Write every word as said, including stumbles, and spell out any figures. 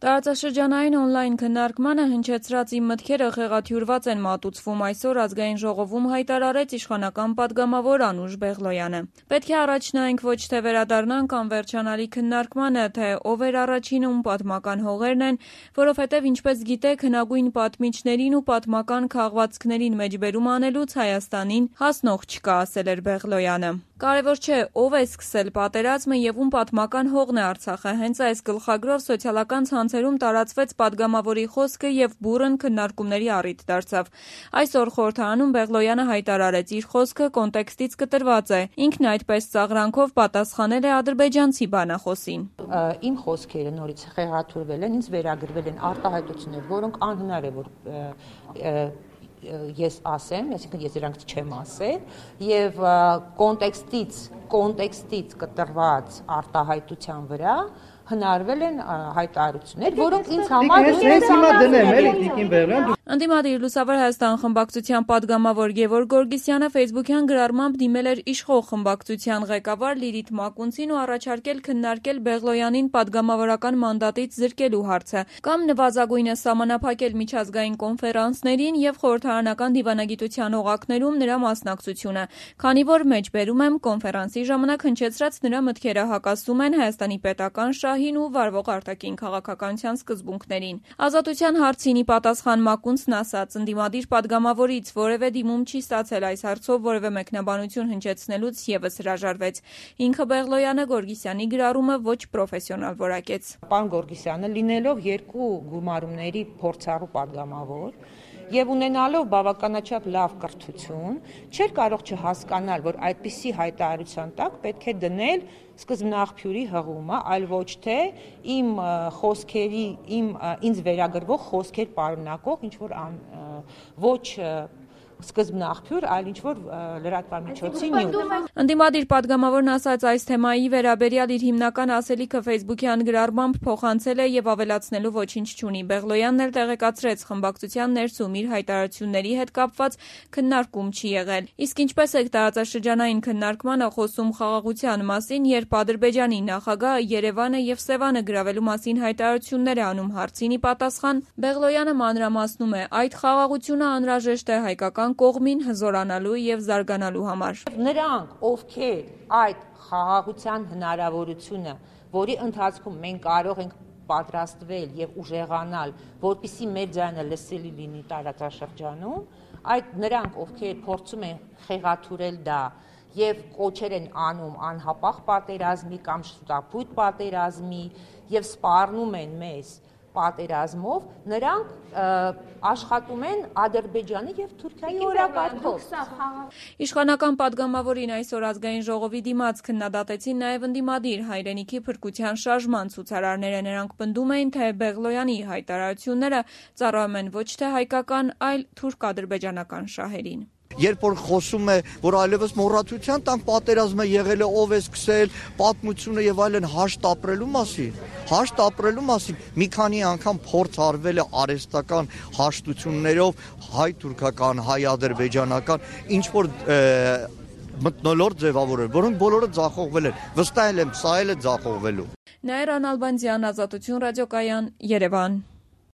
Տարածաշրջանային օնլայն քննարկմանը հնչեցրած իմ մտքերը խեղաթյուրված են մատուցվում այսօր ազգային ժողովում հայտարարեց իշխանական պատգամավոր Անուշ Բեղլոյանը։ Պետք է առաջ նայենք ոչ թե վերադառնանք անվերջանալի քննարկմանը, թե ով էր առաջինը, ում պատմական հողերն են, որովհետև ինչպես գիտեք, հնագույն պատմիչներին ու պատմական քաղվածքներին մեջբերում անելուց Հայաստանին հասնող չկա, ասել էր Բեղլոյանը։ Կարևոր չէ ով է սկսել պատերազմը եւ ում պատմական հողն է Արցախը, հենց այս գլխագրով սոցիալական ցանցերում տարածվեց պատգամավորի խոսքը եւ բուռն քննարկումների առիթ դարձավ։ Այսօր խորհրդարանում Բեղլոյանը հայտարարեց իր խոսքը կոնտեքստից կտրված է։ Ինքն այդպես ծաղրանքով պատասխանել է ադրբեջանցի բանախոսին։ Իմ խոսքերը նորից խեղաթյուրվել են, ինձ վերագրվել են արտահայտություններ, որոնք անհնար է որ ես ասեմ, այսինքն ես դրանք չեմ ասել, եւ կոնտեքստից, կոնտեքստից կտրված արտահայտության վրա հնարվել են հայտարարություններ, որոնք ինձ համար Ընդդիմադիր Լուսավոր Հայաստան խմբակցության պատգամավոր Գևորգ Գորգիսյանը Facebook-յան գրառմամբ դիմել էր իշխող խմբակցության ղեկավար Լիլիթ Մակունցին ու առաջարկել քննարկել Բեղլոյանին պատգամավորական մանդատից զրկելու հարցը կամ նվազագույնը սահմանափակել միջազգային կոնֆերանսներին եւ խորհրդարանական դիվանագիտության օղակներում նրա մասնակցությունը, քանի որ մեջբերում եմ կոնֆերանսի ժամանակ հնչեցրած նրա մտքերը հակասում են Հայաստանի պետական շահին ու վարվող արտաքին քաղաքականության սկզբունքներին։ Ազատության հարցին ի պատասխան Մակունցն ասաց, ընդդիմադիր պատգամավորից որևէ դիմում չի ստացել այս հարցով որևէ մեկնաբանություն հնչեցնելուց եւս հրաժարվեց։ Ինքը Բեղլոյանը Գորգիսյանի գրառումը ոչ պրոֆեսիոնալ որակեց։ Պարոն Գորգիսյանը լինելով երկու գումարումների փորձառու պատգամավոր եւ ունենալով բավականաչափ լավ կրթություն, չէր կարող չհասկանալ, որ այդպիսի հայտարարության տակ պետք է դնել սկզբնաղբյուրի հղումը, այլ ոչ թե իմ խոսքերի, իմ ինձ վերագրվող խոսքեր պարունակող ինչ որ ոչ սկզբնաղբյուր, այլ ինչ որ լրատվամիջոցի նյութ։ Ընդդիմադիր պատգամավորն ասաց այս թեմայի վերաբերյալ իր հիմնական ասելիքը Facebook-յան գրառմամբ փոխանցել է եւ ավելացնելու ոչինչ չունի։ Բեղլոյանն էլ տեղեկացրեց խմբակցության ներսում իր հայտարարությունների հետ կապված քննարկում չի եղել։ Իսկ ինչպես է տարածաշրջանային քննարկմանը խոսում խաղաղության մասին, երբ Ադրբեջանի նախագահը Երևանը եւ Սևանը գրավելու մասին հայտարարություններ է անում հարցին ի պատասխան, Բեղլոյանը մանրամասնում է, այդ խաղաղությունը անհրաժեշտ է հայկական կողմին հզորանալու եւ զարգանալու համար։ Նրանք, ովքեր այդ խաղաղության հնարավորությունը, որի ընթացքում մենք կարող ենք պատրաստվել եւ ուժեղանալ, որպեսզի մեր ձայնը լսելի լինի տարածաշրջանում, այդ նրանք, ովքեր փորձում են խեղաթյուրել դա եւ կոչեր են անում անհապաղ պատերազմի կամ շուտապույտ պատերազմի եւ սպառնում են մեզ պատերազմով, նրանք աշխատում են Ադրբեջանի եւ Թուրքիայի օրակարգով։ Իշխանական պատգամավորին այսօր ազգային ժողովի դիմաց քննադատեցին նաեւ ընդդիմադիր հայրենիքի փրկության շարժման ցուցարարները։ Նրանք պնդում էին, թե Բեղլոյանի հայտարարությունները ծառայում են ոչ թե հայկական, այլ թուրք-ադրբեջանական շահերին։ Երբ որ խոսում է, որ այլևս մոռացության տանք պատերազմը եղել է, ով է սկսել, պատմությունը եւ այլն հաշտ ապրելու մասին, հաշտ ապրելու մասին մի քանի անգամ փորձ արվել է արհեստական հաշտություններով հայ-թուրքական, հայ-ադրբեջանական, ինչ որ մթնոլորտ ձևավորել, որոնք բոլորը ձախողվել են։ Վստահ եմ, սա էլ է ձախողվելու։ Նաիրա Նալբանդյան, Ազատություն ռադիոկայան, Երևան։